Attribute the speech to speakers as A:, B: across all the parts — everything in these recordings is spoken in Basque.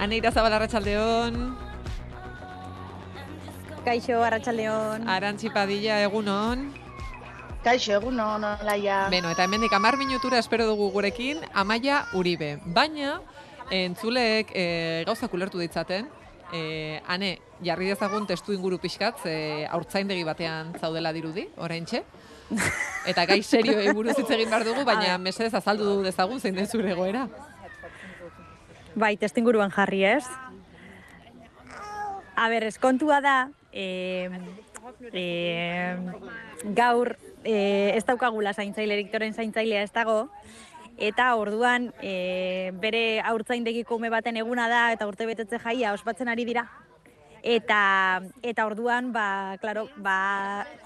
A: Ane Irazabal, arratsaldeon.
B: Kaixo, arratsaldeon.
A: Arantzi Padilla, egunon.
C: Kaixo, egunon, Olaia.
A: Beno, eta hemendik 10 minutura espero dugu gurekin Amaia Uribe. Baina, entzuleek gauzak ulertu ditzaten. Ane, jarri dezagun testu inguru pixkat, haurtzaindegi batean zaudela dirudi, oraintxe. Eta gai serioei buruz hitz egin behar dugu, baina mesedez azaldu dezagun zein den zure egoera.
B: Bai, testu inguruan jarri ez. Kontua da, gaur ez daukagula zaintzailerik, toren zaintzailea ez dago, eta orduan bere haurtzaindegiko ume baten eguna da, eta urte betetze jaia ospatzen ari dira. Eta orduan,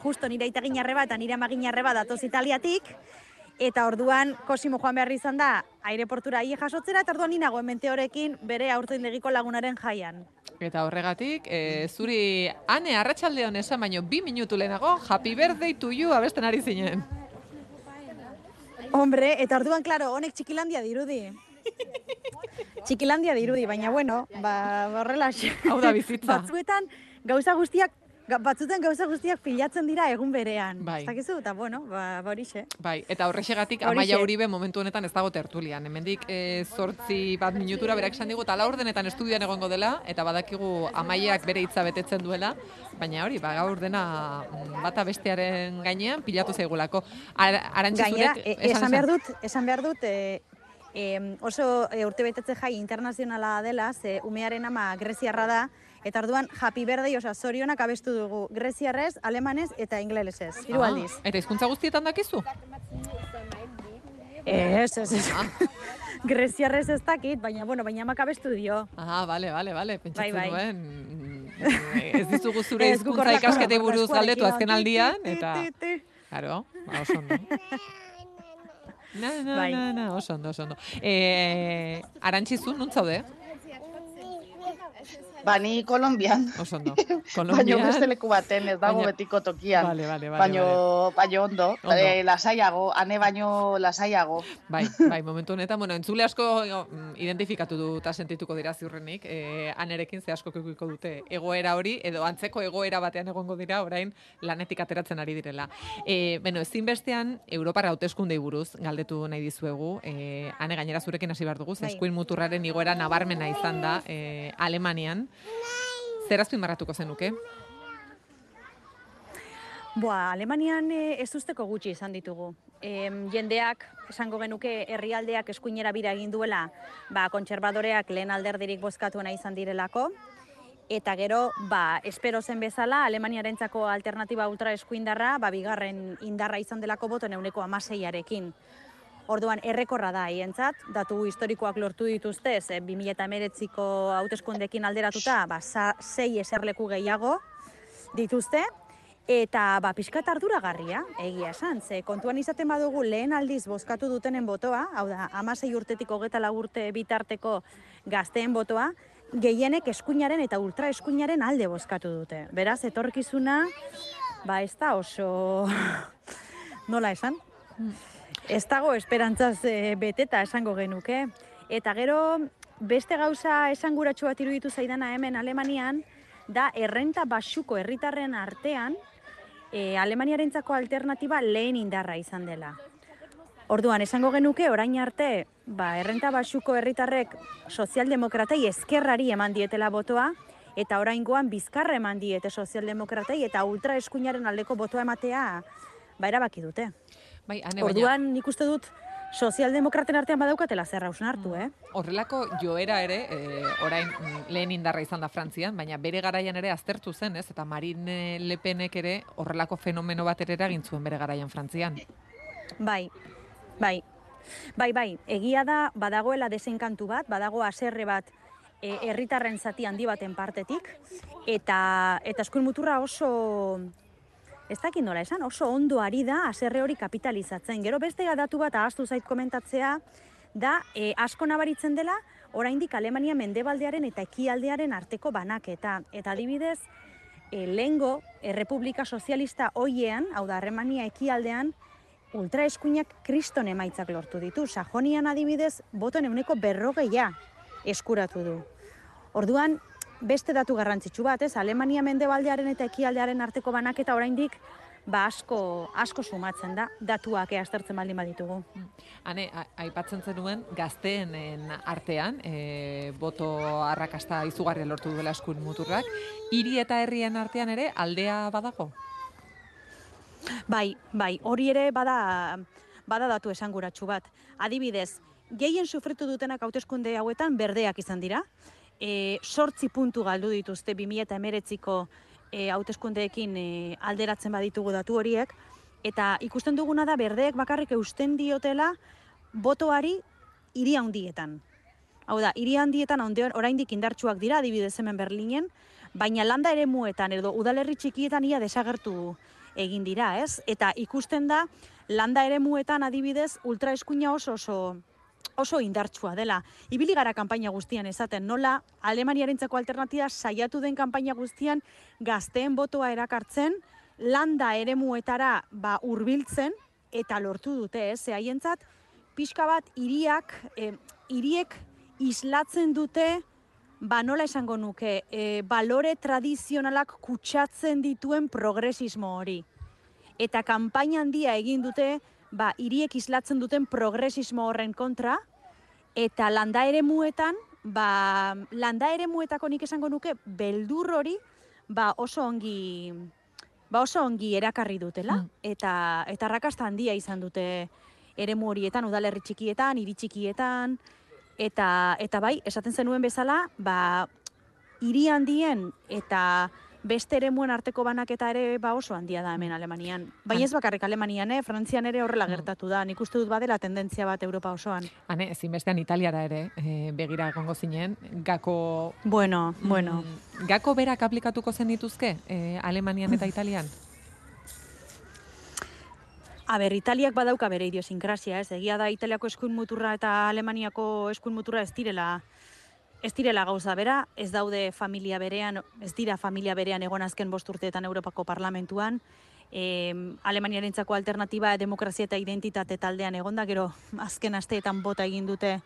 B: justo nire aitagin arreba eta nire amagin arreba datoz Italiatik, eta orduan Cosimo joan behar izan da aireportura hile jasotzera, eta orduan ninago hemente horekin bere haurtzaindegiko lagunaren jaian.
A: Eta horregatik, zuri Ane arratsaldeon esan baino 2 minutu lehenago, Happy Birthday to you abesten ari zinen.
B: Hombre, eta orduan, honek Txikilandia dirudi. Txikilandia dirudi, baina bueno, horrela.
A: Hau da bizitza.
B: Batzuetan gauza guztiak pilatzen dira egun berean.
A: Bai.
B: Ez dakizu, eta bueno, horixe.
A: Bai, eta horrexegatik Amaia Uribe momentu honetan ez dago tertulian. Hemendik 8 minutura berak esan digu, eta 4 estudioan egongo dela, eta badakigu Amaiak bere hitza betetzen duela, baina hori, gaur dena bata bestearen gainean pilatu zaigulako. Arantzi zurek...
B: Esan behar dut, oso urtebetetze jai internazionala dela, ze umearen ama greziarra da, eta orduan Happy Birthday, zorionak abestu dugu greziarrez, alemanez eta ingelesez. 3 aldiz.
A: Eta hizkuntza guztietan dakizu?
B: Ez. Greziarrez ez dakit, baina amak abestu dio.
A: Bale. Pentsatzen
B: Bai.
A: duen. Ez dizugu zure hizkuntza ikasketei buruz galdetu azken aldian, eta... Claro, oso ondo. Oso ondo. Arantzi zu, non zaude?
C: Ni Kolonbian.
A: Oso ondo.
C: Baina beste leku baten, ez dago betiko tokian.
A: Vale.
C: Baina ondo. Lasaiago, Ane baino lasaiago.
A: Bai, momentu honetan, entzule asko identifikatu eta sentituko dira ziurrenik. Anerekin ze asko kekuiko dute egoera hori, edo antzeko egoera batean egongo dira, orain lanetik ateratzen ari direla. Ezinbestean, Europara hauteskundei buruz galdetu nahi dizuegu. Ane gainera zurekin hasi behar dugu, eskuin muturraren igoera nabarmena izan da Alemanian. Zer azpimarratuko zenuke?
B: Alemanian ez usteko gutxi izan ditugu. Jendeak, esango genuke, herrialdeak eskuinera bira egin duela, kontserbadoreak lehen alderdirik bozkatuena izan direlako, eta gero, espero zen bezala, Alemaniarentzako alternatiba ultra eskuindarra, bigarren indarra izan delako boto 16%. Orduan, errekorra da haientzat, datu historikoak lortu dituzte, 2019ko hauteskundeekin alderatuta, 6 eserleku gehiago dituzte, eta pixkat arduragarria, egia esan, ze kontuan izaten badugu lehen aldiz bozkatu dutenen botoa, hau da, 16 urtetik 24 urte bitarteko gazteen botoa, gehienek eskuinaren eta ultra eskuinaren alde bozkatu dute. Beraz, etorkizuna, ez da oso... Nola esan? Ez dago esperantzaz beteta esango genuke. Eta gero, beste gauza esanguratsu bat iruditu zaidana hemen Alemanian, da errenta baxuko herritarren artean, Alemaniarentzako alternatiba lehen indarra izan dela. Orduan, esango genuke, orain arte, errenta baxuko herritarrek sozialdemokratei ezkerrari eman dietela botoa, eta oraingoan bizkarra eman diete sozialdemokratei, eta ultra eskuinaren aldeko botoa ematea, erabaki dute. Orduan, nik uste dut, sozialdemokraten artean badaukatela zer hausnartu,
A: Horrelako joera ere, orain lehen indarra izan da Frantzian, baina bere garaian ere aztertu zen, ez? Eta Marine Le Penek ere horrelako fenomeno bat ere eragin zuen bere garaian Frantzian.
B: Bai. Egia da, badagoela desenkantu bat, badago haserre bat herritarren zati handi baten partetik, eta eskuin muturra oso... Ez dakit nola esan, oso ondo ari da haserre hori kapitalizatzen. Gero beste datu bat ahaztu zait komentatzea, da asko nabaritzen dela, oraindik Alemania mendebaldearen eta ekialdearen arteko banaketa. Eta adibidez, lehengo Errepublika Sozialista hoiean, hau da Alemania ekialdean, ultraeskuinak kriston emaitzak lortu ditu. Sajonian adibidez, botoen 40% eskuratu du. Orduan, beste datu garrantzitsu bat, ez? Alemania mendebaldearen eta ekialdearen arteko banaketa oraindik asko sumatzen da, datuak aztertzen baldin baditugu.
A: Hane, aipatzen zenuen gazteenen artean, boto arrakasta izugarria lortu duela eskuin muturrak, hiri eta herrien artean ere aldea badago?
B: Bai, hori ere bada datu esanguratsu bat. Adibidez, gehien sufritu dutenak hauteskunde hauetan berdeak izan dira. 8 puntu galdu dituzte 2019ko hauteskundeekin alderatzen baditugu datu horiek, eta ikusten duguna da berdeek bakarrik eusten diotela botoari hiri handietan. Hau da, hiri handietan oraindik indartsuak dira, adibidez hemen Berlinen, baina landa eremuetan edo udalerri txikietan ia desagertu egin dira, ez? Eta ikusten da landa eremuetan adibidez ultraeskuina oso indartsua dela. Ibili gara kanpaina guztian esaten, nola Alemaniarentzako alternatiba saiatu den kanpaina guztian gazteen botoa erakartzen, landa eremuetara hurbiltzen eta lortu dute, ez? Haientzat pixka bat hiriek islatzen dute, nola esango nuke, balore tradizionalak kutsatzen dituen progresismo hori. Eta kanpaina handia egin dute, hiriek islatzen duten progresismo horren kontra, eta landa eremuetako nik esango nuke, beldur hori, oso ongi erakarri dutela, eta arrakasta handia izan dute eremu horietan, udalerri txikietan, hiri txikietan, eta bai, esaten zenuen bezala, hiri handien eta beste eremuen arteko banaketa ere oso handia da hemen Alemanian. Baina ez bakarrik Alemanian, Frantzian ere horrela gertatu da. Nik uste dut badela tendentzia bat Europa osoan.
A: Hane, ezinbestean Italiara ere begira egongo zinen. Gako...
B: Bueno.
A: Gako berak aplikatuko zen dituzke Alemanian eta Italian?
B: Italiak badauka bere idiosinkrasia, ez? Egia da Italiako eskuin muturra eta Alemaniako eskuin muturra ez direla gauza bera, ez daude familia berean, ez dira familia berean egon azken 5 urteetan Europako Parlamentuan. Alemaniarentzako alternatiba demokrazia eta identitate taldean egonda, gero azken asteetan bota egin dute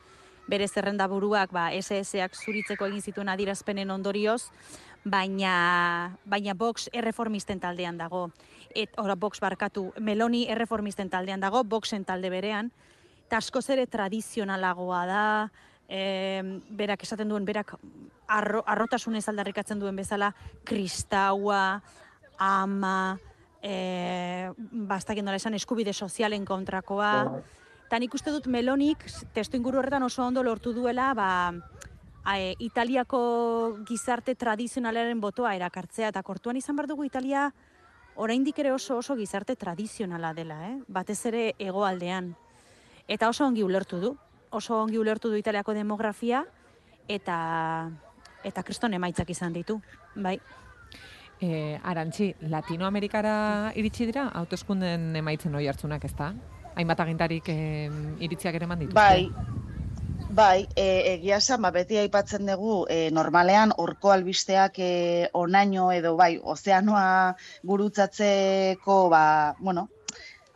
B: bere zerrendaburuak SS-ak zuritzeko egin zituen adierazpenen ondorioz, baina Vox erreformisten taldean dago. Vox Meloni erreformisten taldean dago, Voxen talde berean, eta askoz ere tradizionalagoa da, berak esaten duen, berak arrotasunez aldarrikatzen duen bezala, kristaua, ama, bastakien dola esan eskubide sozialen kontrakoa. Eta nik uste dut Melonik, testu inguru horretan oso ondo lortu duela, Italiako gizarte tradizionalaren botoa erakartzea, eta kortuan izan behar dugu Italia oraindik ere oso gizarte tradizionala dela, batez ere hegoaldean. Eta oso ongi ulertu du Italiako demografia, eta kriston emaitzak izan ditu, bai.
A: Arantxi, Latinoamerikara iritsi dira, hauteskunden emaitzen hori hartzunak, ez da? Hainbat agintarik iritziak ere eman dituzte.
C: Bai, egia esan, beti aipatzen dugu, normalean horko albisteak onaino edo ozeanoa gurutzatzeko,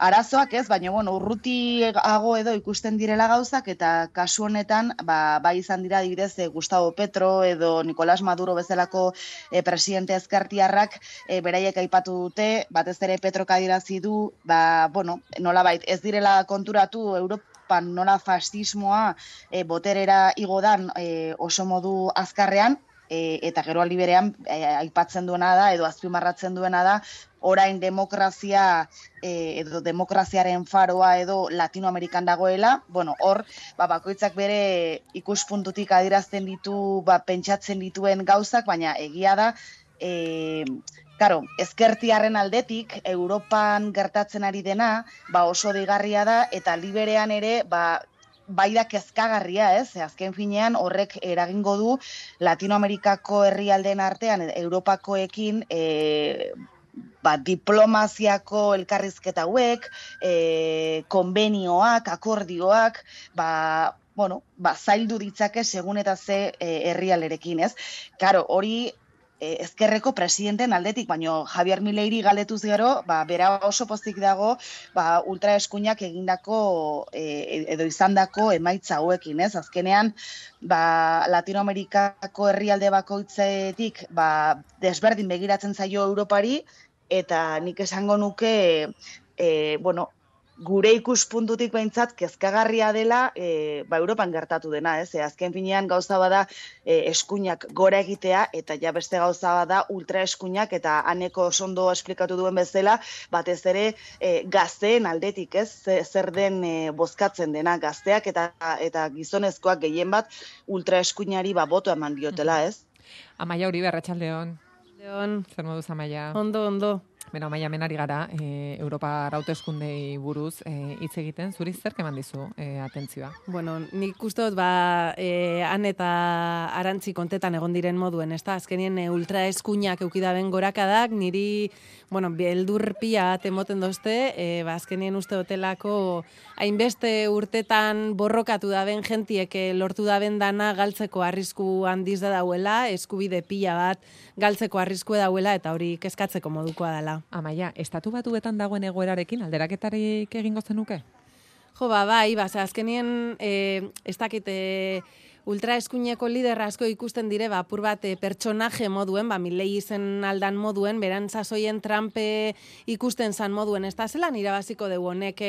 C: arazoak ez, baina urrutiago edo ikusten direla gauzak, eta kasu honetan, bai izan dira adibidez Gustavo Petro edo Nicolás Maduro bezalako presidente ezkertiarrak beraiek aipatu dute, batez ere Petrok adierazi du, nolabait ez direla konturatu Europan nola fascismoa boterera igodan oso modu azkarrean, eta gero aldi berean aipatzen duena da, edo azpimarratzen duena da, orain demokrazia edo demokraziaren faroa edo Latinoamerikan dagoela, hor, bakoitzak bere ikuspuntutik adierazten ditu, pentsatzen dituen gauzak, baina egia da, ezkertiarren aldetik, Europan gertatzen ari dena, oso deigarria da, eta liberean ere, bai da kezkagarria, ez? Azken finean horrek eragingo du Latinoamerikako herrialdeen artean, Europakoekin, diplomaziako elkarrizketa hauek, konbenioak, akordioak, zaildu ditzake segun eta ze herrialderekin, ez? Hori ezkerreko presidenten aldetik, baino Javier Mileiri galdetuz gero, bera oso pozik dago, ultraeskuinak egindako edo izandako emaitza hauekin, ez? Azkenean, Latinoamerikako herrialde bakoitzetik, desberdin begiratzen zaio Europari, eta nik esango nuke, gure ikuspuntutik behintzat kezkagarria dela Europan gertatu dena, ez? Azken finean gauza bada eskuinak gora egitea, eta ja beste gauza bada ultraeskuinak, eta Aneko ondo esplikatu duen bezala, batez ere gazteen aldetik, ez? Zer den bozkatzen dena gazteak eta gizonezkoak gehien bat ultraeskuinari boto eman diotela, ez?
A: Amaia Uribe, arratsaldeon. Zer moduz, Amaia?
D: Ondo.
A: Beno, Amaia, menari gara, Europa hauteskundei buruz hitz egiten, zuri zerk eman dizu atentzioa?
D: Bueno, nik uste dut, han eta Arantzi kontetan egon diren moduen, ez da? Azkenien ultraeskuinak eukidaben gorakadak, niri, beldur pia temoten dozte, azkenien uste dotelako hainbeste urtetan borrokatu daben gentiek lortu daben dana galtzeko arrisku handiz da dauela, eskubide pila bat galtzeko arrisku dauela, eta hori kezkatzeko modukoa dela.
A: Amaia, estatu batuetan dagoen egoerarekin alderaketarik egingo zenuke?
D: Jo, bai, azkenien ez dakit ultraeskuineko liderra asko ikusten dire, apur bat pertsonaje moduen, Milei izen aldan moduen, beran sasoien Trump ikusten zan moduen, ez da zelan irabaziko dugu honek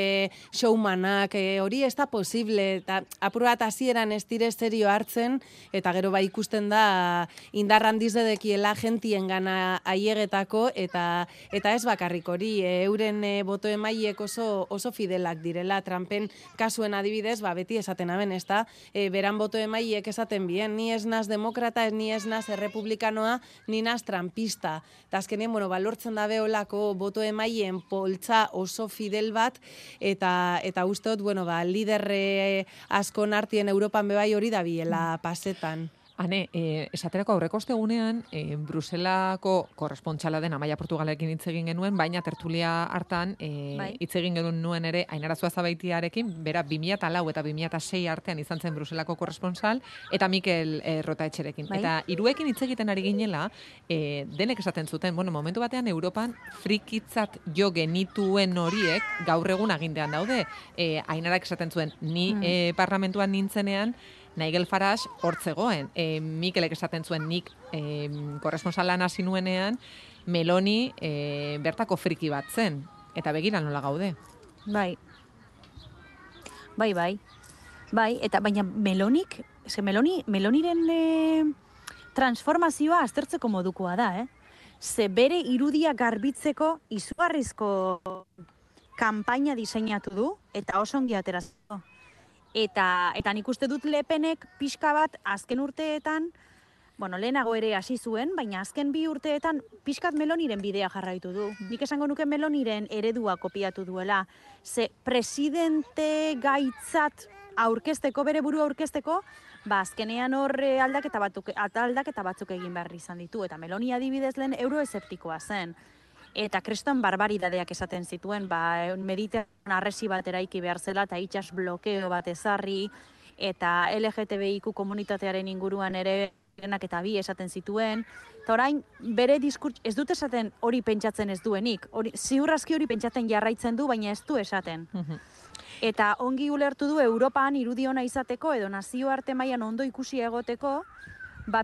D: showmanak, hori ez da posible, eta apur bat hasieran ez dire serio hartzen, eta gero ikusten da indar handiz dedekiela gentien gana aiegetako, eta ez bakarrik hori, euren boto emaiek oso fidelak direla, Trumpen kasuen adibidez, beti esaten aben, ez da, beran boto emaiek esaten bien, ni ez naz demokrata, ni ez naz errepublikanoa, ni naz trumpista. Eta azkenien, balortzen da beholako boto emaien poltza oso fidel bat, eta usteot, liderre asko nartien Europan bebai hori da biela pasetan.
A: Hane, esaterako aurreko ostegunean, Bruselako korrespontxala den Amaia Portugalekin hitz egin genuen, baina tertulia hartan hitz egin genuen ere Ainara Zuazabaitiarekin, bera 2004 eta 2006 artean izan zen Bruselako korrespontsal, eta Mikel Rotaetxerekin. Eta hiruekin hitz egiten ari ginela, denek esaten zuten, momentu batean Europan frikitzat jo genituen horiek gaur egun agintean daude. Ainarak esaten zuen, ni parlamentuan nintzenean, Nigel Farage hortzegoen. Mikelek esaten zuen nik korresponsalan hasi nuenean, Meloni bertako friki bat zen. Eta begira nola gaude.
B: Bai, eta baina Meloniren transformazioa aztertzeko modukoa da, Ze bere irudia garbitzeko izugarrizko kanpaina diseinatu du, eta oso ongi aterazko. Eta nik uste dut Le Penek pixka bat azken urteetan, lehenago ere hasi zuen, baina azken 2 urteetan pixkat Meloniren bidea jarraitu du. Nik esango nuke Meloniren eredua kopiatu duela. Ze presidente gaitzat aurkezteko, bere burua aurkezteko, azkenean hor aldaketa batzuk egin behar izan ditu. Eta Meloni adibidez lehen euroeseptikoa zen. Eta kriston barbaridadeak esaten zituen, Mediterran arresi bat eraiki behar zela, eta itsas blokeo bat ezarri, eta LGTBIQ komunitatearen inguruan ere genak eta bi esaten zituen. Eta orain, bere diskurtso, ez dut esaten hori pentsatzen ez duenik. Ziurrazki hori pentsatzen jarraitzen du, baina ez du esaten. Eta ongi ulertu du Europan irudiona izateko, edo nazioarte mailan ondo ikusi egoteko,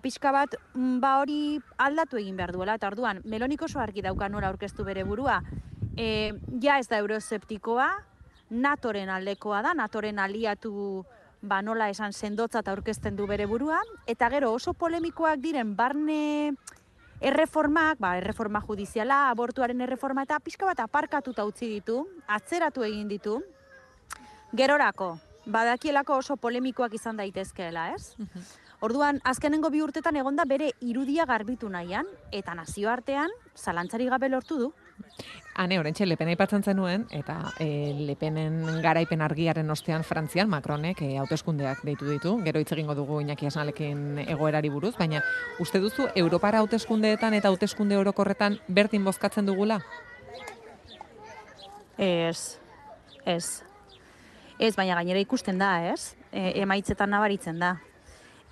B: pixka bat, hori aldatu egin behar duela, eta orduan, Melonik oso argi dauka nola aurkeztu bere burua. Ja ez da euroseptikoa, NATOren aldekoa da, NATOren aliatu nola esan sendotzat aurkezten du bere burua, eta gero oso polemikoak diren barne erreformak, erreforma judiziala, abortuaren erreforma, eta pixka bat aparkatuta utzi ditu, atzeratu egin ditu, gerorako, badakielako oso polemikoak izan daitezkeela, ez? Orduan, azkenengo 2 urtetan egonda bere irudia garbitu nahian, eta nazioartean zalantzari gabe lortu du.
A: Hane, orentxe, Lepena aipatzen zenuen, eta Lepenen garaipen argiaren ostean Frantzian Macronek hauteskundeak deitu ditu. Gero hitz egingo dugu Iñaki Asnalekin egoerari buruz, baina uste duzu Europara hauteskundeetan eta hauteskunde orokorretan berdin bozkatzen dugula?
B: Ez, baina gainera ikusten da, ez? Emaitzetan nabaritzen da.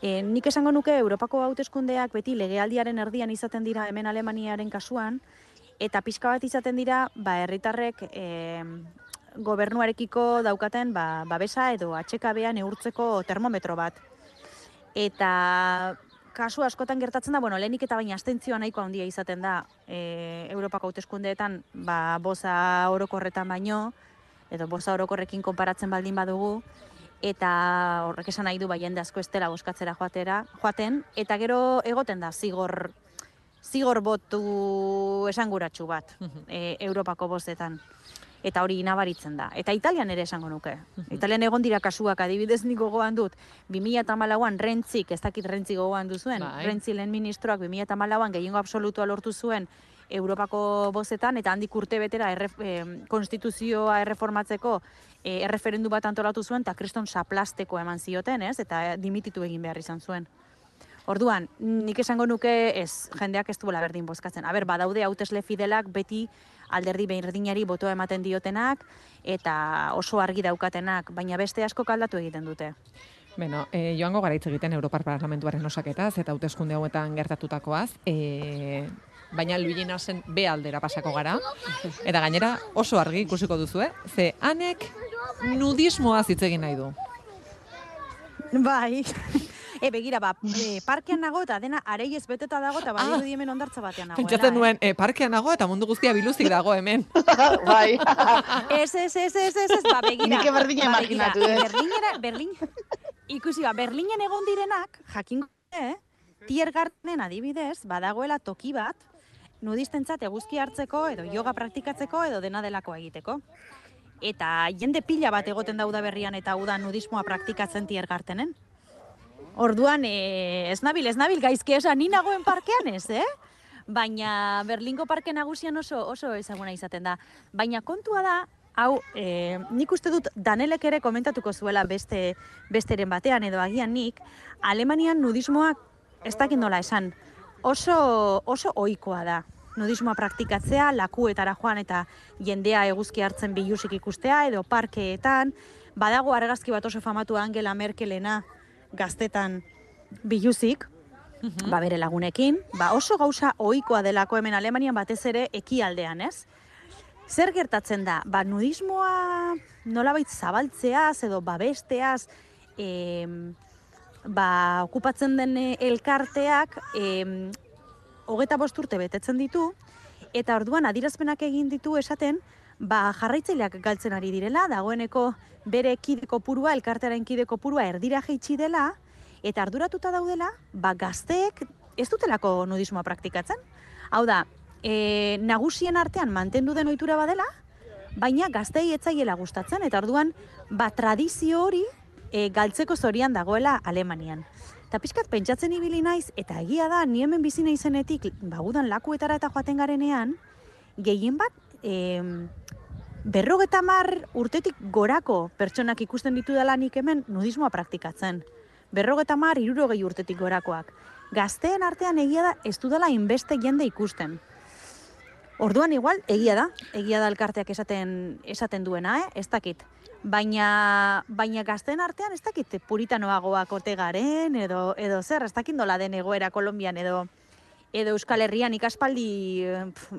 B: Nik esango nuke Europako hauteskundeak beti legealdiaren erdian izaten dira hemen Alemaniaren kasuan, eta pixka bat izaten dira, herritarrek gobernuarekiko daukaten babesa edo atxekabea neurtzeko termometro bat. Eta kasu askotan gertatzen da, lehenik eta baina abstentzioa nahiko handia izaten da Europako hauteskundeetan, boza orokorretan baino, edo boza orokorrekin konparatzen baldin badugu, eta horrek esan nahi du jende asko ez dela bozkatzera joaten, eta gero egoten da zigor botu esanguratsu bat Europako bozetan. Eta hori nabaritzen da. Eta Italian ere esango nuke. Italian egon dira kasuak, adibidez nik gogoan dut, 2014an Rentzik, ez dakit Rentzi gogoan duzuen, Rentzi lehen ministroak 2014an gehiengo absolutua lortu zuen Europako bozetan, eta handik urte betera konstituzioa erreformatzeko erreferendu bat antolatu zuen, eta kriston saplasteko eman zioten, eta dimititu egin behar izan zuen. Orduan, nik esango nuke jendeak ez duela berdin bozkatzen. Badaude hautesle fidelak beti alderdi berdinari botoa ematen diotenak eta oso argi daukatenak, baina beste asko aldatu egiten dute.
A: Beno, joango gara hitz egiten Europar Parlamentuaren osaketaz eta hauteskunde hauetan gertatutakoaz, baina Luigi Nasen B aldera pasako gara, eta gainera oso argi ikusiko duzue, ze hanek nudismoaz hitz egin nahi du.
B: Bai. Begira, parkean nago eta dena areiez beteta dago eta badirudi hemen ondartza batean nagoela.
A: Pentsatzen nuen, parkean nago eta mundu guztia biluzik dago hemen.
C: Bai.
B: Ez, begira.
C: Nik berdina imaginatu,
B: Berlin, ikusi, Berlinen egon direnak, jakingo, Tiergartenen adibidez, badagoela toki bat, nudistentzat eguzki hartzeko, edo yoga praktikatzeko, edo dena delakoa egiteko. Eta jende pila bat egoten dauda berrian eta hau da nudismoa praktikatzen Tiergartenen. Orduan, ez nabil gaizki esan, ni nagoen parkean ez, Baina Berlingo parke nagusian oso ezaguna izaten da. Baina kontua da, hau, nik uste dut Danelek ere komentatuko zuela besteren batean, edo agian nik, Alemanian nudismoak ez dakit nola esan, oso ohikoa da. Nudismoa praktikatzea, lakuetara joan eta jendea eguzki hartzen bilusik ikustea, edo parkeetan, badago argazki bat oso famatu Angela Merkelena, gaztetan biluzik, bere lagunekin, oso gauza ohikoa delako hemen Alemanian batez ere ekialdean, ez? Zer gertatzen da? Nudismoa nolabait zabaltzeaz edo babesteaz okupatzen den elkarteak 25 urte betetzen ditu, eta orduan adierazpenak egin ditu esaten, jarraitzaileak galtzen ari direla, dagoeneko bere kide kopurua, elkartearen kide kopurua erdira jaitsi dela, eta arduratuta daudela, gazteek ez dutelako nudismoa praktikatzen. Hau da, nagusien artean mantendu den ohitura badela, baina gazteei etzaiela gustatzen, eta orduan, tradizio hori galtzeko zorian dagoela Alemanian. Eta pixkat pentsatzen ibili naiz, eta egia da, ni hemen bizi naizenetik, udan lakuetara eta joaten garenean, gehien bat, 50 urtetik gorako pertsonak ikusten ditu dela nik hemen nudismoa praktikatzen. 50, 60 urtetik gorakoak. Gazteen artean egia da ez dudala inbeste jende ikusten. Orduan igual, egia da elkarteak esaten duena, ez dakit. Baina gazteen artean ez dakit puritanoagoak ote garen, edo zer, ez dakit nola den egoera Kolonbian, edo Euskal Herrian,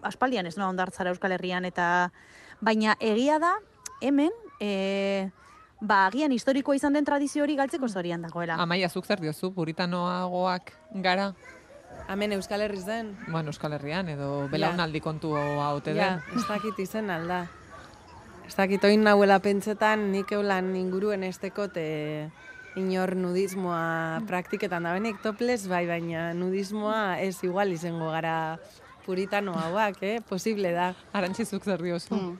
B: aspaldian ez noa ondartzara Euskal Herrian, baina egia da, hemen, agian historikoa izan den tradizio hori galtzeko zorian dagoela.
A: Amaia, zuk zer diozu, puritanoagoak gara?
D: Hemen Euskal Herriz den?
A: Bueno, Euskal Herrian, edo belaunaldi kontu haute den.
D: Ez dakit izen alda. Ez dakit oin nahuela pentsetan, nik eulan inguruen estekot inor nudismoa praktiketan da benik toples, baina nudismoa ez igual izango gara puritano hauak, posible da.
A: Arantxizuk zer diozu.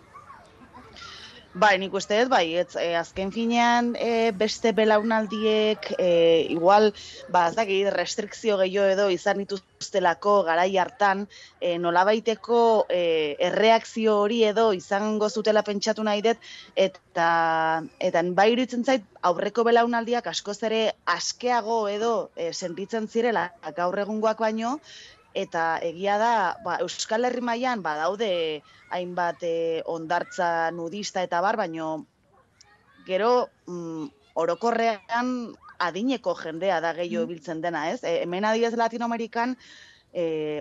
C: Nik uste dut, azken finean beste belaunaldiek igual, ez dakit, restrikzio gehiago edo izan dituztelako garai hartan, nolabaiteko erreakzio hori edo izango zutela pentsatu nahi dut, eta iruditzen zait aurreko belaunaldiak askoz ere askeago edo sentitzen zirela gaur egungoak baino, eta egia da, Euskal Herri mailan badaude hainbat hondartza nudista eta baino gero orokorrean adineko jendea da gehiago biltzen dena, ez? Hemen adibidez Latinoamerikan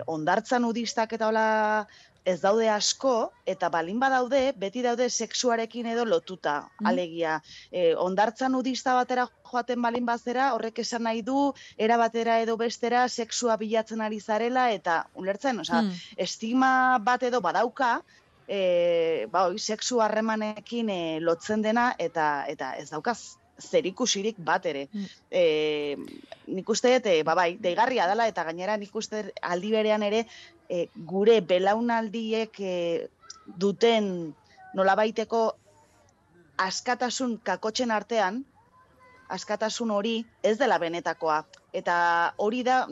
C: hondartza nudistak eta hola ez daude asko, eta balin badaude, beti daude sexuarekin edo lotuta, alegia. Hondartza nudista batera joaten balin bazera, horrek esan nahi du, era batera edo bestera, sexua bilatzen ari zarela, eta ulertzen, estigma bat edo badauka, sexu harremanekin lotzen dena, eta ez daukaz zerikusirik bat ere. Nik uste dut, deigarria dela, eta gainera nik uste aldi berean ere, gure belaunaldiek duten nolabaiteko askatasun kakotxen artean, askatasun hori ez dela benetakoa. Eta hori da,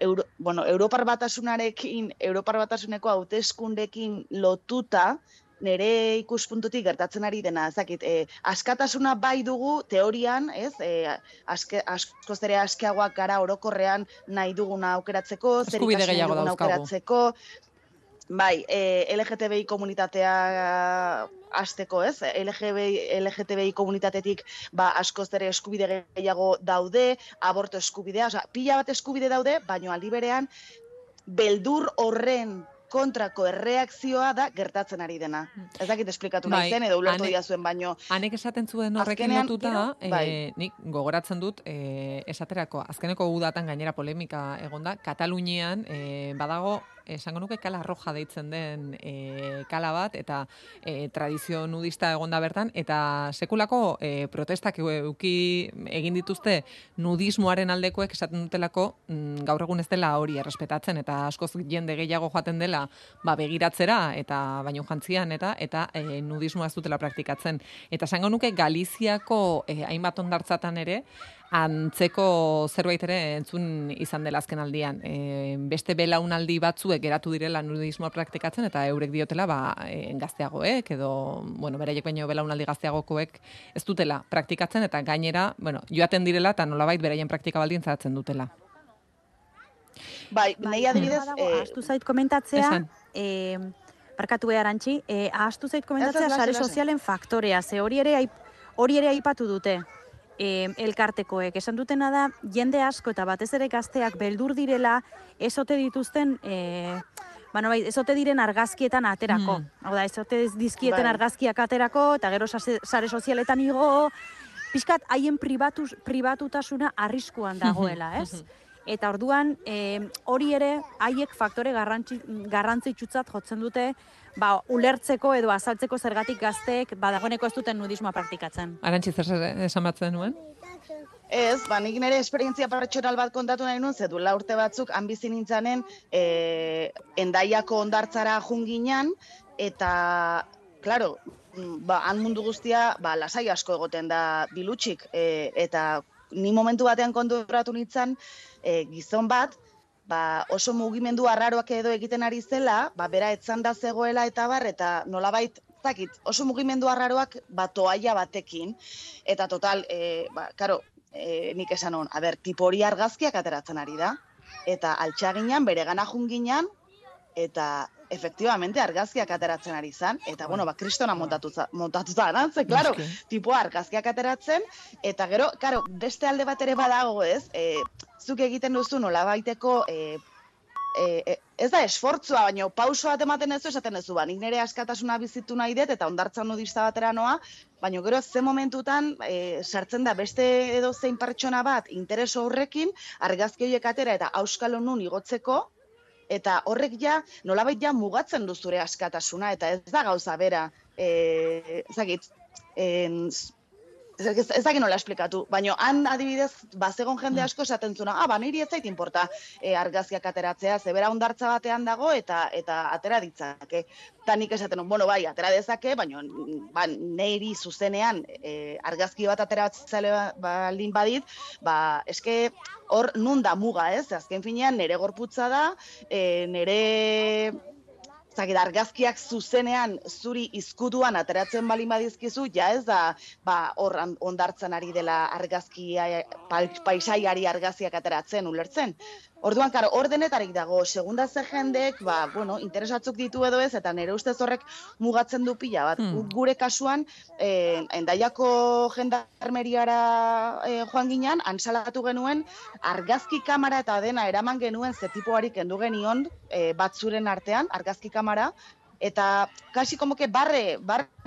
C: Europar Batasuneko hauteskundeekin lotuta, nire ikuspuntutik gertatzen ari dena, ezakit, askatasuna bai dugu teorian, ez, askoz ere askeagoak gara orokorrean nahi duguna aukeratzeko, zer ikasi nahi duguna aukeratzeko, bai, LGTBI komunitatea hasteko, ez, LGTBI komunitatetik askoz ere eskubide gehiago daude, aborto eskubidea, pila bat eskubide daude, baina aldi berean, beldur horren kontrako erreakzioa da gertatzen ari dena. Ez dakit esplikatu nahi zen, edo ulertu diazuen, baino...
A: Hanek esaten zuen horrekin lotuta, nik gogoratzen dut, esaterako, azkeneko udatan gainera polemika egonda, Katalunian badago, esango nuke kala roja deitzen den kala bat, eta tradizio nudista egonda bertan, eta sekulako protestak egin dituzte nudismoaren aldekoek esaten dutelako gaur egun ez dela hori errespetatzen, eta askoz jende gehiago joaten dela begiratzera, eta baino jantzian, eta nudismoa ez dutela praktikatzen. Eta esango nuke Galiziako hainbat hondartzatan ere, antzeko zerbait ere entzun izan dela azken aldian. Beste belaunaldi batzuek geratu direla nudismoa praktikatzen, eta eurek diotela gazteagoek, edo, beraiek baino belaunaldi gazteagokoek ez dutela praktikatzen, eta gainera, joaten direla, eta nolabait beraien praktika baldintzatzen dutela.
C: Bai, nahi adibidez...
B: Ahaztu zait komentatzea, barkatu Arantxi, ahaztu zait komentatzea sare sozialen faktorea, ze hori ere aipatu dute. Elkartekoek. Esan dutena da, jende asko eta batez ere gazteak beldur direla, ezote dituzten, ezote diren argazkietan aterako. Hau da, ezote dizkieten argazkiak aterako, eta gero sare sozialetan igo, pixkat haien pribatutasuna arriskuan dagoela, ez? Eta orduan, hori ere, haiek faktore garrantzitsutzat jotzen dute, ulertzeko edo azaltzeko zergatik gazteek dagoeneko ez duten nudismoa praktikatzen.
A: Arantxi, zer esan batzen nuen?
C: Ez, nik nire esperientzia pertsonal bat kontatu nahi nuen, zedula urte batzuk han bizi nintzanen Hendaiako hondartzara junginan, eta, klaro, han mundu guztia lasai asko egoten da bilutxik, eta ni momentu batean konturatu nintzen gizon bat, oso mugimendu arraroak edo egiten ari zela, bera etzanda zegoela eta nolabait, oso mugimendu arraroak toaia batekin, eta total, nik esan hon, tipo hori argazkiak ateratzen ari da, eta altxaginan, bere gana junginan, eta efektibamente argazkiak ateratzen ari zan, eta kristona montatuta anantze, klaro, tipoa argazkiak ateratzen, eta gero, beste alde bat ere badago ez, zuk egiten duzu nolabaiteko, ez da esfortzua, baina pauso bat ematen ez du, esaten ez du, nik nire askatasuna bizitu nahi dut, eta hondartza nudista batera noa, baina gero ze momentutan sartzen da beste edo zein pertsona bat intereso horrekin, argazki horiek atera eta auskalo nun igotzeko, eta horrek nolabait mugatzen du zure askatasuna, eta ez da gauza bera, ezagin nola esplikatu, baina han adibidez, bazegon jende asko esaten zuna, niri ez zait inporta argazkiak ateratzea, zebera hondartza batean dago eta atera ditzake. Eta nik esaten, bai, atera dezake, baina niri zuzenean argazki bat ateratzea baldin badit, eske hor nun da muga, ez? Azken finean nire gorputza da, nire argazkiak zuzenean zuri izkutuan ateratzen balin badizkizu, ja ez da hor ondartzen ari dela argazkia, paisaiari argazkiak ateratzen, ulertzen. Orduan, karo, hor denetarik dago, segunda ze jendek, interesatzuk ditu edo ez, eta nire ustez horrek mugatzen du pila bat. Gure kasuan, Hendaiako jendarmeriara joan ginean, antsalatu genuen, argazki kamara eta dena eraman genuen zetipoari kendu genion batzuren artean, argazki kamara, eta kasi komoke barre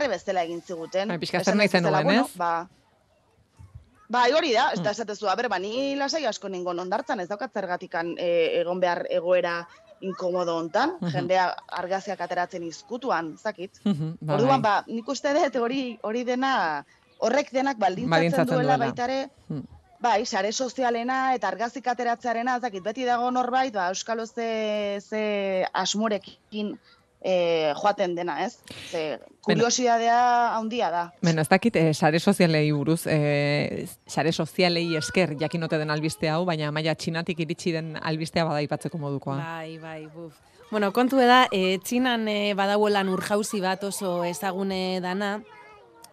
C: bezala egin ziguten.
A: Pixka zer nahi zenuen, ez?
C: Hori da, ez da esatezu, ni lasai asko ningon ondartzan, ez daukat zergatikan egon behar egoera inkomodo hontan, jendea argazkiak ateratzen izkutuan, zakit. Orduan, nik uste dut hori dena, horrek denak baldintzatzen duela baitare, sare sozialena eta argazki ateratzearena, zakit, beti dago norbait, euskalo ze asmorekin joaten dena, ez? Kuriosidadea handia da.
A: Beno, ez dakit, sare sozialei buruz, sare sozialei esker jakinote den albiste hau, baina maila Txinatik iritsi den albistea bada aipatzeko modukoa.
D: Bai, buf. Bueno, kontu da, Txinan badauelan urjauzi bat oso ezagune dana,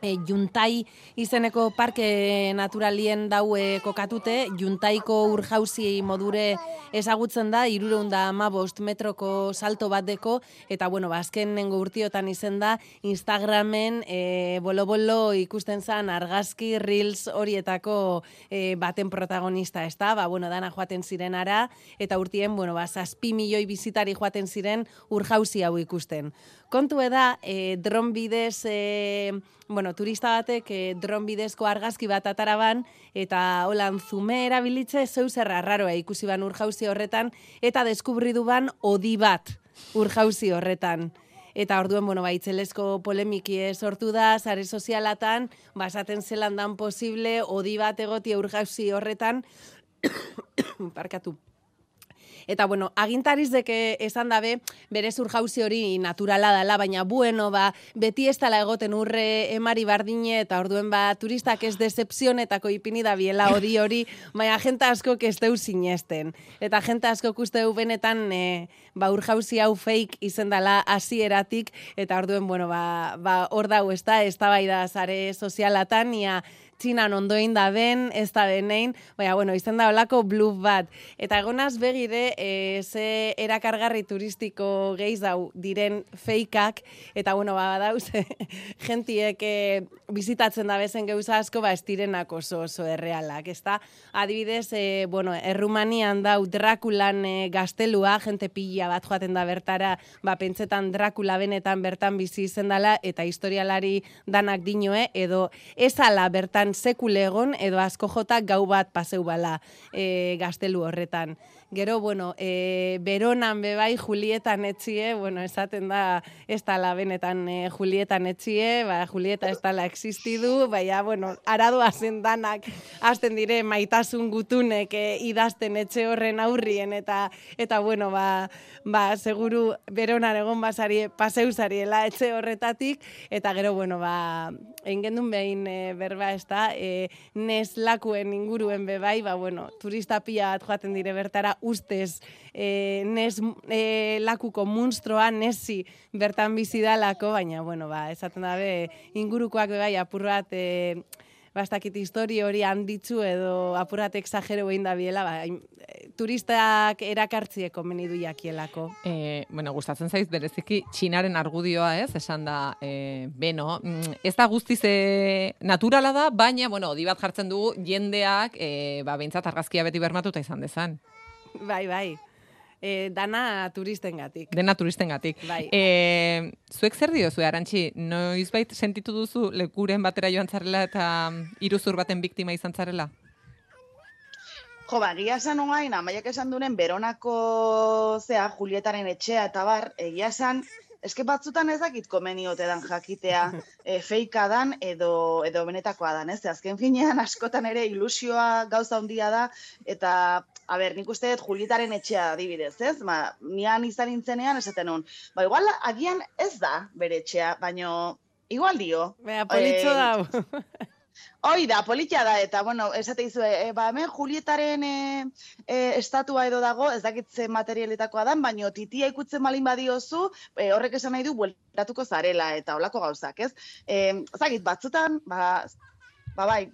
D: Juntai izeneko parke naturalien daue kokatute, Juntaiko urjauzi modure ezagutzen da, 315 metroko salto bat deko, eta azkenengo urtiotan izen da, Instagramen bolo-bolo ikusten zan argazki, reels horietako baten protagonista, ez da, dana joaten ziren ara, eta urtien, 6 milioi bizitari joaten ziren urjauzi hau ikusten. Kontu da, dron bidez, turista batek dron bidezko argazki bat ataraban, eta holan zume erabilitze zeu zerra raroa ikusi ban urjauzi horretan, eta deskubridu ban odi bat urjauzi horretan. Eta orduen, itzelesko polemiki sortu da, sare sozialatan, basaten zelan dan posible, odi bat egotia urjauzi horretan, parkatu. Eta, agintariz deke esan dabe, berez urjauzi hori naturala dela, baina beti ez dela egoten urre emari bardine, eta orduen turistak ez decepzionetako ipini da biela hori, baina jenta asko ez deu sinesten. Eta jenta asko usteu benetan urjauzi hau fake izen dela hasieratik, eta orduen, hor dau ez da sare sozialatan, Txinan ondoin da ben, ez da benein, baina, izen da olako bluff bat. Eta egonaz begire, ze erakargarri turistiko gehiz dau diren feikak, eta, badauz, gentiek bizitatzen da bezen gauza asko, ez direnak oso errealak, ez da? Adibidez, Errumanian dau Drakulan gaztelua, jente pila bat joaten da bertara, pentsetan Drakula benetan bertan bizi izen dela, eta historialari danak dinoe, edo ezala bertan sekule egon, edo asko jota gau bat paseu bala gaztelu horretan. Gero, Beronan bebai Julietan etxie, esaten da ez dala benetan Julietan etxie, Julieta ez dala existidu, aradoa zen danak hasten dire maitasun gutunek idazten etxe horren aurrien, eta seguru Beronan egon basari paseu zariela etxe horretatik, eta gero, engendun behin berba ez da, nes lakuen inguruen bebai, turista pila bat joaten dire bertara, ustez nes lakuko munstroa nesi bertan bizi dalako, baina, esaten dabe, ingurukoak bebai apur bat, bastakit histori hori handitzu edo apur bat exagero behin da biela, turistak erakartzieko menidu jakielako.
A: Gustatzen zaiz bereziki Txinaren argudioa, ez? Esan da, ez da guztiz naturala da, baina, odi bat jartzen dugu jendeak, behintzat argazkia beti bermatuta izan dezan.
D: Bai. Dana turistengatik.
A: Dena turistengatik.
D: Bai.
C: Zuek zer diozu, Arantxi? Noizbait sentitu duzu lekuren batera joan zarela eta iruzur baten biktima izan zarela? Egia esan oain, Amaiak esan duren Beronako Julietaren etxea eta bar, egia esan, eske batzutan ez dakit komeniote dan jakitea feika dan edo benetakoa dan, ez? Azken finean askotan ere ilusioa gauza handia da, eta, nik uste dut Julietaren etxea adibidez, ez? Nian izan nintzenean esaten hon, igual agian ez da bere etxea, baino igual dio.
D: Politxo dau.
C: Hoi da, politia da, eta, bueno, esate izu, hemen Julietaren estatua edo dago, ez dakitze materialetakoa dan, baino titia ikutzen malin badiozu, horrek esan nahi du, bueltatuko zarela, eta olako gauzak, ez? Zagit, batzutan, bai,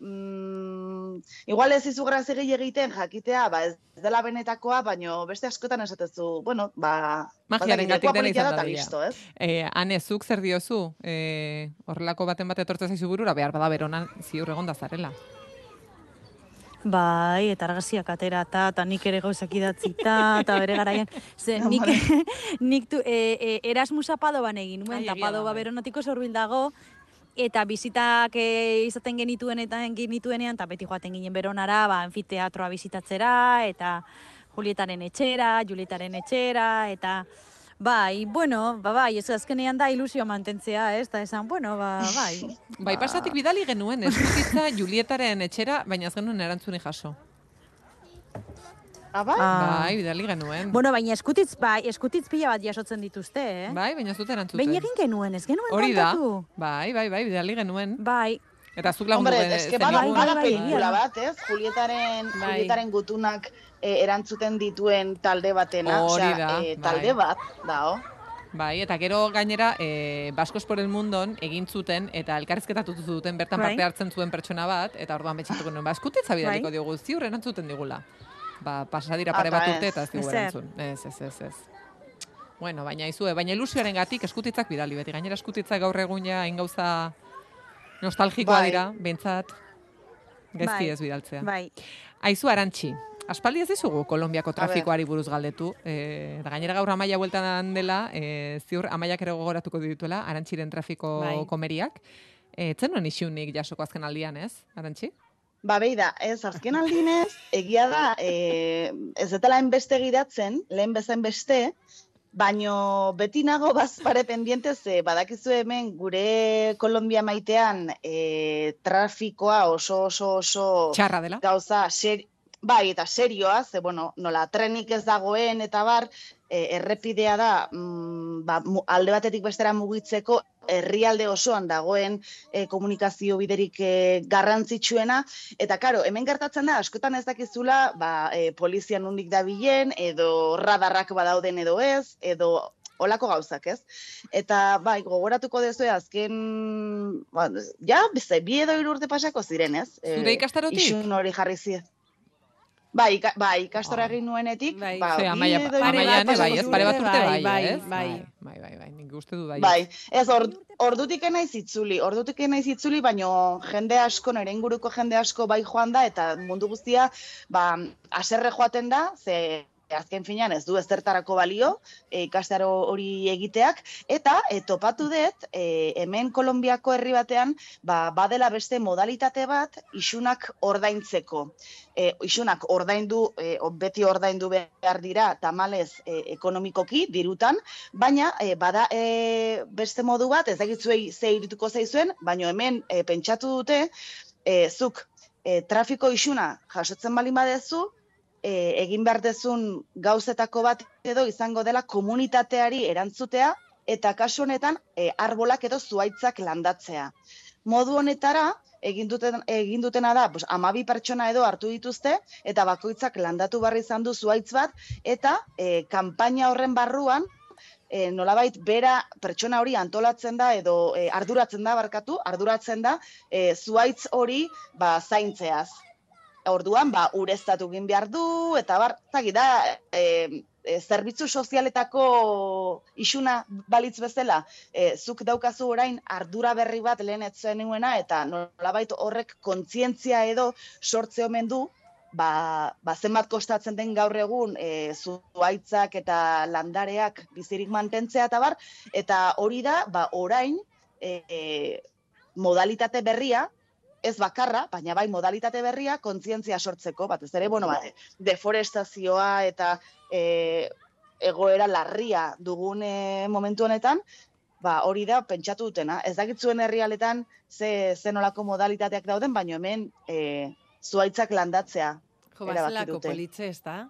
C: igual ez izu grazegi egiten jakitea, ez dela benetakoa, baino beste askotan esatezu, bueno,
A: magiaren gatik dena izan da
C: listo, ez?
A: Ane, zuk zer diozu? Horrelako baten bat etortzen zaizu burura, behar bada beronan ziur egon da zarela.
B: Bai, eta argazkiak atera, eta nik ere gauzak idatzita, eta bere garaian. Ze, nik Erasmusa Padoban egin nuen, eta Padoba beronatiko zorbil dago, eta bizitak izaten genituenean, eta beti joaten ginen Beronara, anfiteatroa bizitatzera, eta Julietaren etxera, Julietaren etxera, eta bai, bueno, bai, ez azkenean da ilusioa mantentzea, ez, eta esan, bueno, bai.
A: Bai, pasatik bidali genuen, eskutitza Julietaren etxera, baina ez genuen erantzuni jaso.
C: Bai?
A: Bai, bidali genuen.
B: Bueno, baina eskutitz pila bat jasotzen dituzte, eh?
A: Bai, baina ez dut erantzuten.
B: Behin egin genuen, ez genuen
A: hori da.
B: kontatu?
A: Bai, bidali genuen.
B: Bai.
A: Eta zuk lagundu
C: Hombre, eske bada pelikula bat, ez? Julietaren gutunak erantzuten dituen talde batena, talde bat, dao.
A: Bai, eta gero gainera, Baskos por el Mundon egin zuten, eta elkarrizketatu zuten bertan parte hartzen zuen pertsona bat, eta orduan betxatuko nuen, eskutitza bidaliko diogu, ziur erantzuten digula. Pasadira pare bat urte eta ez digu erantzun. Ez. Bueno, baina ilusioaren gatik eskutitzak bidali, beti gainera eskutitzak gaur egun ja ingauza nostalgikoa dira, bentsat, gezti ez bidaltzea.
B: Bai.
A: Aizu, Arantxi, aspaldi ez dizugu Kolonbiako trafikoari buruz galdetu, eta gainera gaur Amaia bueltan dela, ziur Amaiak ere gogoratuko dituela, Arantxiren trafiko komeriak. Zenuen isunik jasoko azken aldian, ez, Arantxi?
C: Beida, ez, azken aldinez, egia da, ez dela enbeste gidatzen, lehen bezain beste, baino beti nago bazpare pendientez, badakizu hemen gure Kolonbia maitean trafikoa oso
A: txarra dela.
C: Gauza, bai, eta serioa, bueno, nola trenik ez dagoen eta bar, errepidea da, alde batetik bestera mugitzeko, herrialde osoan dagoen komunikazio biderik garrantzitsuena, eta karo, hemen gertatzen da, askotan ez dakizula, polizia nondik dabilen, edo radarrak badauden edo ez, edo olako gauzak, ez? Eta, gogoratuko dezu, azken, bi edo 3 urte pasako ziren, ez?
A: Zure ikastarotik?
C: Isun hori jarri ziren. Bai, ikastora egin nuenetik,
A: Amaian, ez pare bat urte ez? Bai, nik uste du bai.
C: Bai, ez, ordutik naiz itzuli, baino jende asko, nire inguruko jende asko bai joan da, eta mundu guztia, haserre joaten da, ze azken finean ez du ezertarako balio, ikastaro hori egiteak, eta topatu dut, hemen Kolonbiako herri batean, badela beste modalitate bat, isunak ordaintzeko. Isunak beti ordaindu behar dira, tamalez ekonomikoki, dirutan, baina bada beste modu bat, ez dakitzuei ze irituko zaizuen, baina hemen pentsatu dute, zuk trafiko isuna jasotzen balin badezu, egin behar dezun gauzetako bat edo izango dela komunitateari erantzutea eta kasu honetan arbolak edo zuhaitzak landatzea. Modu honetara egin dutena da 12 pertsona edo hartu dituzte eta bakoitzak landatu barri izan du zuhaitz bat eta kanpaina horren barruan nolabait bera pertsona hori antolatzen da edo arduratzen da zuhaitz hori zaintzeaz. Orduan, ureztatu egin behar du, eta zerbitzu sozialetako isuna balitz bezala, zuk daukazu orain ardura berri bat lehen ez zuen nuena, eta nolabait horrek kontzientzia edo sortze omen du, zenbat kostatzen den gaur egun zuhaitzak eta landareak bizirik mantentzea eta hori da, orain modalitate berria, ez bakarra, baina bai modalitate berria kontzientzia sortzeko, batez ere, deforestazioa eta egoera larria dugun momentu honetan, hori da pentsatu dutena. Ez dakitzuen herrialetan ze nolako modalitateak dauden, baina hemen zuhaitzak landatzea erabaki dute.
D: Bazelako politze, ez da?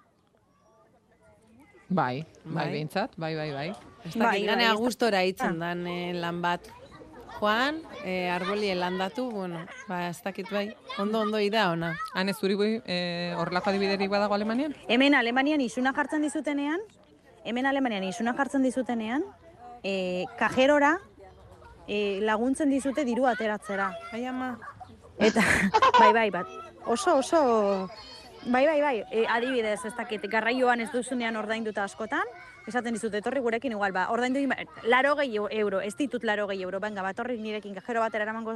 A: Bai, behintzat, bai.
D: Ez da, ganea gustora hitzen dan lan bat. joan, arbolien landatu, bueno, ba, ez dakit bai, ondo ida ona.
A: Han ez zuri horrelako adibiderik badago Alemanian?
B: Hemen Alemanian isuna jartzen dizutenean, kajerora laguntzen dizute diru ateratzera.
D: Bai, ama.
B: Eta, bai, bat, oso, bai, adibidez, ez dakit, garraioan ez duzunean ordainduta askotan, esaten dizute, etorri gurekin igual, ordaindu 80 euro, ez ditut 80 euro, benga, etorri nirekin kajero batera eramango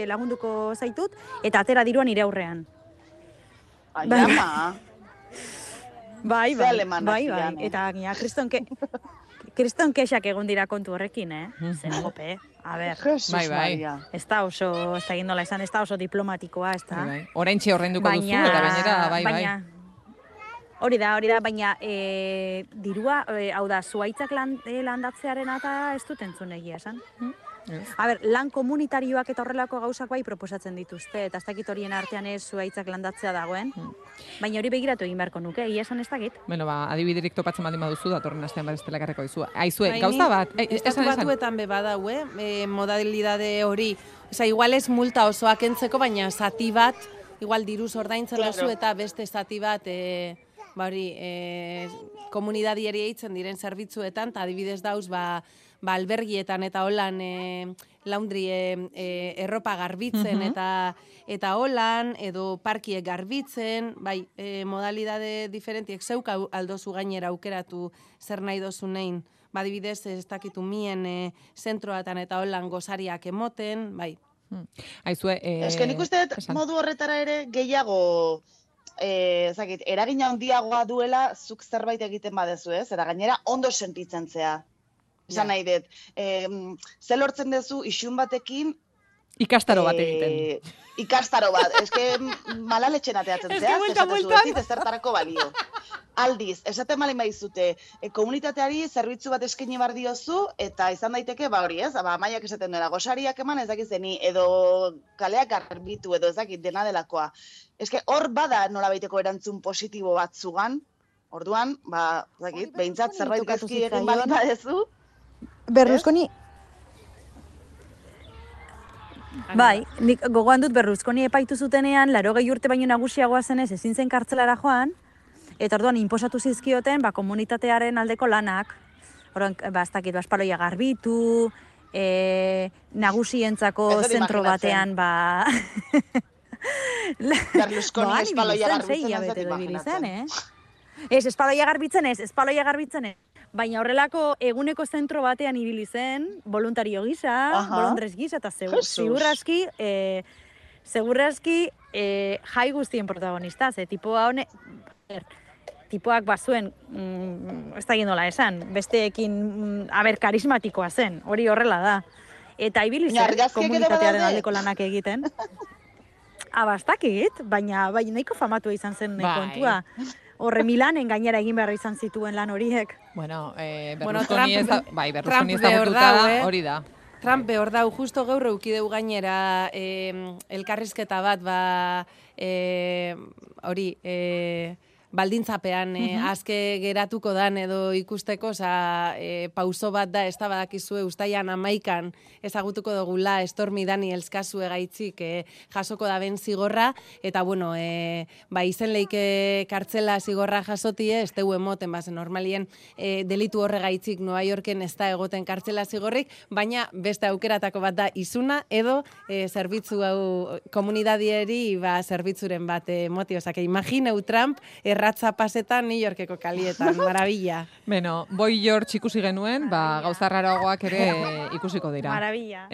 B: lagunduko zaitut, eta atera diruan nire aurrean.
C: Ai, ama.
B: Bai, eta gina, kriston kexak egon dira kontu horrekin, Zer gope, a ber.
A: Bai.
B: Ez da oso, ez da gindola esan, ez da oso diplomatikoa, ez da.
A: Oraintxe horreinduko duzu, eta gainera, bai.
B: Hori da, baina dirua, hau da, zuaitzak landatzearen eta ez dut entzun egia esan. A ber, lan komunitarioak eta horrelako gauzak bai proposatzen dituzte, eta ez dakit horien artean ez zuaitzak landatzea dagoen, baina hori begiratu egin beharko nuke, egia esan ez dakit.
A: Bueno, adibiderik topatzen baldin baduzu, datorren astean bat estela garreko dizu. Aizue, gauza bat,
D: estatu batuetan be badau, modalidade hori, oza, igual ez multa osoak entzeko, baina zati bat, igual diruz ordaintzen duzu eta beste zati bat, komunidadieri eitzen diren zerbitzuetan, eta adibidez dauz, albergietan eta holan laundry erropa garbitzen eta holan, edo parkiek garbitzen, bai, modalidade diferentiek zeuk aldozu gainera aukeratu zer nahi dozunein, adibidez ez dakitu mien zentroatan eta holan gozariak emoten, bai.
A: Aizue,
C: nik uste modu horretara ere gehiago eragin handiagoa duela zuk zerbait egiten badezu, ez? Eta gainera ondo sentitzen zea. Esan nahi dut, ze lortzen duzu isun batekin
A: ikastaro bat egiten.
C: Ikastaro bat, malaletxen ateatzen zea, ez zertarako balio. Aldiz, esaten malin baizute, komunitateari zerbitzu bat eskaini bar diozu, eta izan daiteke, hori ez, amaiak esaten duela, gosariak eman ez dakizeni, edo kaleak garbitu, edo ez dakit dena delakoa. Hor bada nolabaiteko erantzun positibo bat zugan, orduan, behintzat zerbait gaizki egin balin badezu,
B: Berlusconi... Bai, nik gogoan dut Berlusconi epaitu zutenean, 80 urte baino nagusiagoa zenez ezin zen kartzelara joan, eta orduan inposatu zizkioten komunitatearen aldeko lanak. Orduan, ez dakit, espaloia garbitu, nagusientzako zentro batean,
C: Berlusconi espaloia garbitzen
B: ez espaloia garbitzen ez. Baina horrelako eguneko zentro batean ibili zen, voluntario gisa, bolondrez gisa, eta segurrazki jai guztien protagonista. Tipoak bazuen, ez da gindola esan, besteekin karismatikoa zen, hori horrela da. Eta ibili zen, komunitatearen aldeko lanak egiten. Abastakit, baina nahiko famatua izan zen kontua. Horre Milanen gainera egin behar izan zituen lan horiek.
A: Berlusconi ezagututa hori da.
D: Trump behor dau, justo gaur eukideu gainera elkarrizketa bat, hori, baldintzapean azke geratuko dan edo ikusteko, pauso bat da, ez da badakizue, ustaian 11 ezagutuko dugula Stormy Daniels kasu egaitzik jasoko da ben zigorra, eta bueno, izen leike kartzela zigorra jasotie, ez teu emoten, normalien delitu horregaitzik Nueva Yorken ez da egoten kartzela zigorrik, baina beste aukeratako bat da izuna, edo zerbitzu hau komunidadieri zerbitzuren bat motio, imagineu Trump erratza pasetan New Yorkeko kalietan, marabilla.
A: Beno, Boy George ikusi genuen, gauza raragoak ere ikusiko dira.
B: Marabilla.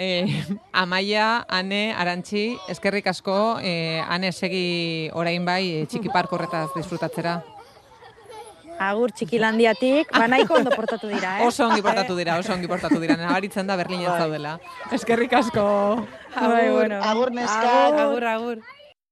A: Amaia, Ane, Arantxi, eskerrik asko, Ane segi orain bai txiki parko horretaz disfrutatzera.
B: Agur txikilandiatik, nahiko ondo portatu dira,
A: Oso ongi portatu dira, nabaritzen da Berlinen zaudela. Eskerrik asko.
B: Agur,
C: neska.
D: Agur.